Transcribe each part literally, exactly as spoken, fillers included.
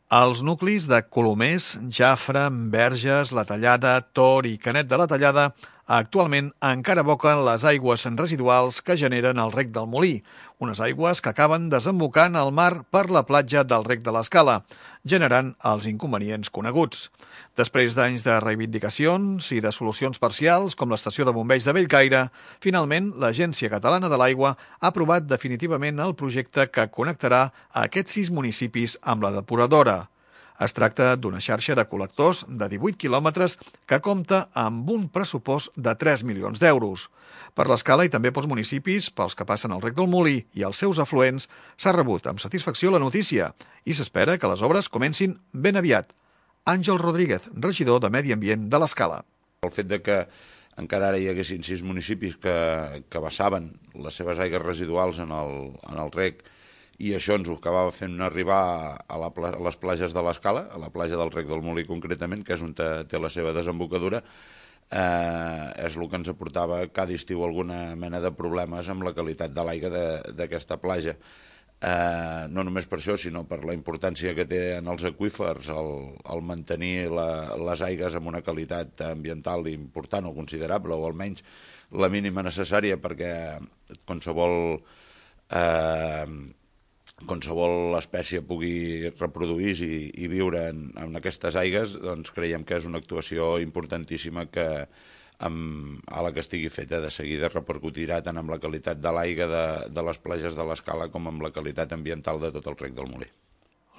Els nuclis de Colomers, Jafre, Verges, La Tallada, Tor i Canet de la Tallada actualment encara aboquen les aigües residuals que generen el rec del Molí, unes aigües que acaben desembocant al mar per la platja del rec de l'Escala, generant els inconvenients coneguts. Després d'anys de reivindicacions i de solucions parcials, com l'estació de bombers de Bellcaire, finalment l'Agència Catalana de l'Aigua ha aprovat definitivament el projecte que connectarà aquests sis municipis amb la depuradora. Es tracta d'una xarxa de col·lectors de divuit quilòmetres que compta amb un pressupost de tres milions d'euros. Per l'Escala i també pels municipis, pels que passen el rec del Molí i els seus afluents, s'ha rebut amb satisfacció la notícia i s'espera que les obres comencin ben aviat. Àngel Rodríguez, regidor de Medi Ambient de l'Escala. El fet de que encara ara hi haguessin sis municipis que, que vessaven les seves aigues residuals en el, en el rec, i això ens ho acabava fent arribar a, la, a les platges de l'Escala, a la platja del rec del Molí concretament, que és on té, té la seva desembocadura, eh, és el que ens aportava cada estiu alguna mena de problemes amb la qualitat de l'aigua d'aquesta platja. Eh, no només per això, sinó per la importància que té en els aqüífers el, el mantenir la, les aigües amb una qualitat ambiental important o considerable, o almenys la mínima necessària perquè qualsevol eh, qualsevol espècie pugui reproduir-se i, i viure en, en aquestes aigues, doncs creiem que és una actuació importantíssima que amb, a la que estigui feta de seguida repercutirà tant amb la qualitat de l'aigua de, de les platges de l'Escala com amb la qualitat ambiental de tot el rec del Molí.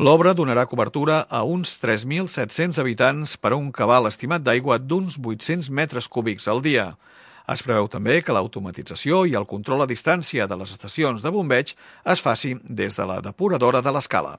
L'obra donarà cobertura a uns tres mil set-cents habitants per a un cabal estimat d'aigua d'uns vuit-cents metres cúbics al dia. Es preveu també que l'automatització i el control a distància de les estacions de bombeig es faci des de la depuradora de l'Escala.